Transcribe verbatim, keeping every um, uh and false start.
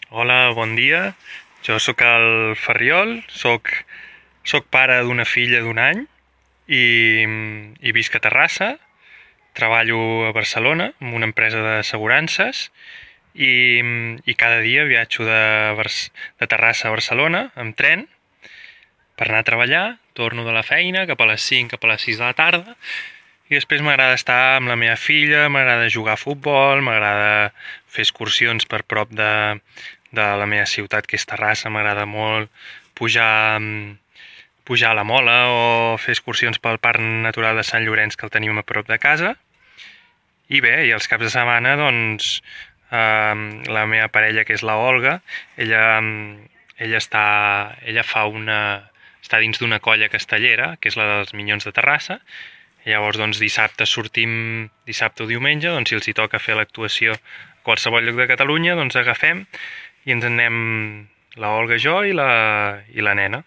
Hola, bon dia. Jo sóc el Ferriol, sóc, sóc pare d'una filla d'un any i, i visc a Terrassa. Treballo a Barcelona amb una empresa d'assegurances i, i cada dia viatjo de, Bar- de Terrassa a Barcelona amb tren per anar a treballar. Torno de la feina cap a les cinc, cap a les sis de la tarda i després m'agrada estar amb la meva filla, m'agrada jugar a futbol, m'agrada fer excursions per prop de, de la meva ciutat, que és Terrassa. M'agrada molt pujar, pujar a la Mola o fer excursions pel Parc Natural de Sant Llorenç, que el tenim a prop de casa. I bé, i els caps de setmana, doncs, eh, la meva parella, que és la Olga, ella, ella, està, ella fa una, està dins d'una colla castellera, que és la dels Minyons de Terrassa. I llavors, doncs, dissabte sortim, dissabte o diumenge, doncs, si els hi toca fer l'actuació a qualsevol lloc de Catalunya, doncs agafem i ens en anem la Olga, jo i la, i la nena.